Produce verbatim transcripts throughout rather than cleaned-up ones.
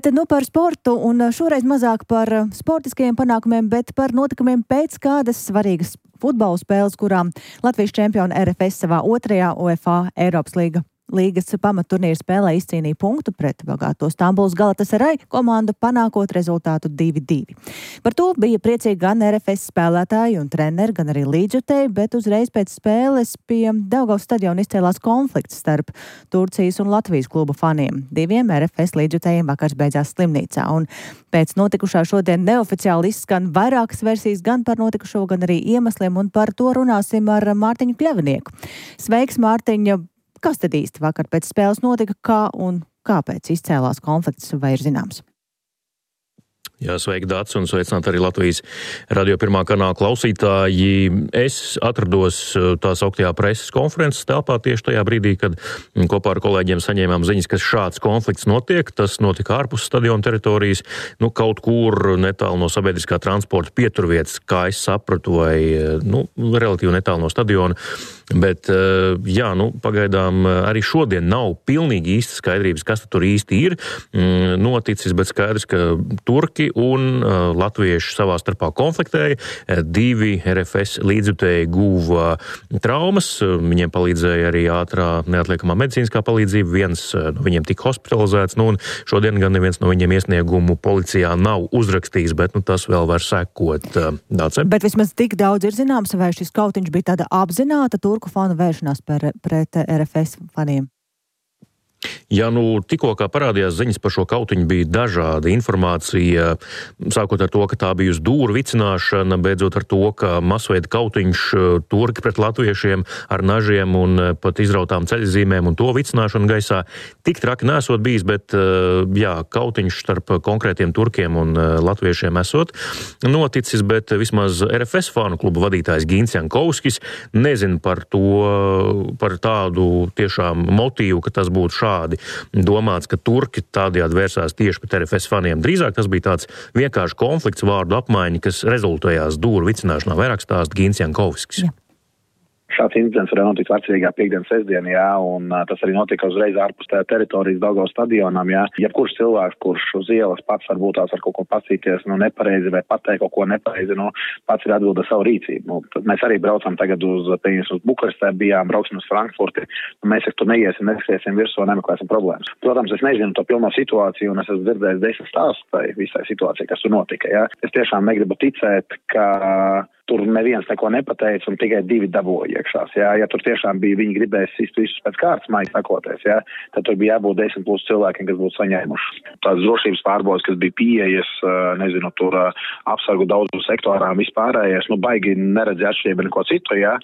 Tad nu par sportu, un šoreiz mazāk par sportiskajiem panākumiem, bet par notikumiem pēc kādas svarīgas futbola spēles, kurām Latvijas čempioni R F S savā otrajā UEFA Eiropas līga. Līgas pamatturnīra spēlē izcīnīja punktu pret bagāto Stambulas Galatasaray komandu, panākot rezultātu divi divi. Par to bija priecīgi gan R F S spēlētāji un treneri, gan arī līdzjutēji, bet uzreiz pēc spēles pie Daugavas stadiona izcēlās konflikts starp Turcijas un Latvijas klubu faniem. Diviem R F S līdzjutējiem vakars beidzās slimnīcā, un pēc notikušā šodien neoficiāli izskan vairākas versijas gan par notikušo, gan arī iemesliem, un par to runāsim ar Mārtiņu Kļavinieku. Sveiks, Mārtiņa! Kas tad īsti vakar pēc spēles notika, kā un kāpēc izcēlās konflikts, vai ir zināms? Jā, sveiki, Dācis, un sveicināt arī Latvijas radio pirmā kanāla klausītāji. Es atrados tā sauktajā preses konferences telpā tieši tajā brīdī, kad kopā ar kolēģiem saņēmām ziņas, ka šāds konflikts notiek. Tas notika ārpus stadiona teritorijas, nu, kaut kur netālu no sabiedriskā transporta pieturvietas, kā es sapratu, vai, nu, relatīvi netālu no stadiona. Bet, jā, nu, pagaidām arī šodien nav pilnīgi īsti skaidrības, kas tur īsti ir noticis, bet skaidrs, ka turki un uh, latvieši savā starpā konfliktēja. Divi R F S līdzjutēji guva traumas, viņiem palīdzēja arī ātrā neatliekamā medicīniskā palīdzība, viens no viņiem tika hospitalizēts, nu, un šodien gan neviens no viņiem iesniegumu policijā nav uzrakstījis, bet, nu, tas vēl var sekot. Dāce? Bet vismaz tik daudz ir zināms, vai šis kautiņš bija tāda apzināta turku fanu vēršanās par, pret R F S faniem? Ja nu tikko kā parādījās ziņas par šo kautiņu, bija dažāda informācija, sākot ar to, ka tā bija uz dūru vicināšana, beidzot ar to, ka masveida kautiņš turki pret latviešiem ar nažiem un pat izrautām ceļzīmēm un to vicināšanu gaisā. Tik traki nesot bijis, bet jā, kautiņš starp konkrētiem turkiem un latviešiem esot noticis, bet vismaz R F S fanu klubu vadītājs Gins Jankovskis nezin par to, par tādu tiešām motīvu, ka tas būtu šādi domāts, ka turki tādējādi vērsās tieši pret R F S faniem. Drīzāk tas bija tāds vienkārši konflikts, vārdu apmaiņa, kas rezultējās dūru vicināšanā. Vairāk stāsta Gins Jankovskis. Jā. Šāds incidents varēja notikt vecrīgā piekdienas sestdienā, jā, un uh, tas arī notika uzreiz ārpus tā teritorijas Daugavas stadionam, jā. Jebkurš cilvēks, kurš uz ielas pats varbūt tās var kaut ko pacīties, nu, nepareizi vai pateikt kaut ko nepareizi, nu, pats ir atbild ar savu rīcību. Nu, mēs arī braucam tagad uz, pieņems, uz Bukarestē, bijām, brauksim uz Frankfurti, nu, mēs tur neiesim, neskriesim virsū, nemeklēsim problēmas. Protams, es nezinu to pilno situāciju, un es esmu dzirdējis desmit stāstus tai visai situācijai, kas tur notika, jā. Es tiešām negribu ticēt, ka tur neviens neko nepateica un tikai divi dabūja iekšās. Jā. Ja tur tiešām bija, viņi gribēs sist visus pēc kārtas, maigi sakoties, jā, tad tur bija jābūt desmit plus cilvēkiem, kas būtu saņēmuši. Tās drošības pārbaudes, kas bija pieejas, nezinu, tur apsargu daudzu sektorām vispārējais, nu baigi neredzēja atšķirību neko citu, jā.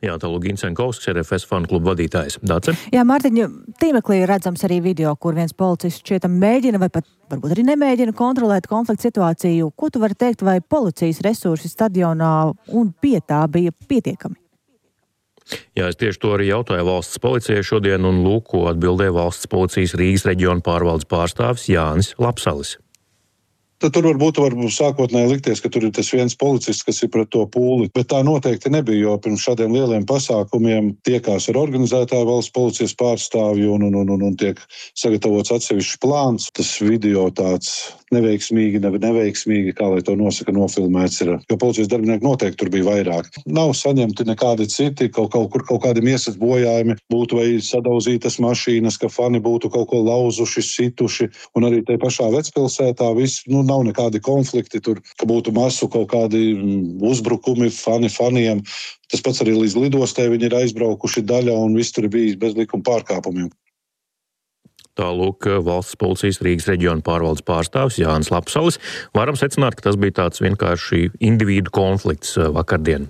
Jā, tālūk Gins Jankovskis, R F S fanu klubu vadītājs. Dāce? Jā, Mārtiņa, tīmeklī redzams arī video, kur viens policists šķietam mēģina vai pat varbūt arī nemēģina kontrolēt konflikta situāciju. Ko tu vari teikt, vai policijas resursi stadionā un pie tā bija pietiekami? Jā, es tieši to arī jautāju valsts policijai šodien, un lūk, ko atbildēja valsts policijas Rīgas reģiona pārvaldes pārstāvis Jānis Lapsalis. Tad tur varbūt var sākotnēji likties, ka tur ir tas viens policists, kas ir pret to pūli, bet tā noteikti nebija, jo pirms šādiem lieliem pasākumiem tiekās ar organizētāju valsts policijas pārstāvju un, un, un, un, un tiek sagatavots atsevišķs plāns. Tas video tāds neveiksmīgi, ne, neveiksmīgi, kā lai to nosaka, nofilmēts ir, jo policijas darbinieki noteikti tur bija vairāk. Nav saņemti nekādi citi, kaut, kaut kur kaut kādiem iesas bojājumi, būtu vai sadauzītas mašīnas, ka fani būtu kaut ko lauzuši, situši, un arī te pašā Vecpilsētā viss, nu, nav nekādi konflikti tur, ka būtu masu kaut kādi uzbrukumi fani faniem. Tas pats arī līdz lidostē viņi ir aizbraukuši daļa un viss tur ir bijis bez likuma pārkāpumiem. Tālūk valsts policijas Rīgas reģiona pārvaldes pārstāvis Jānis Lapsalis. Varam secināt, ka tas bija tāds vienkārši individu konflikts vakardien.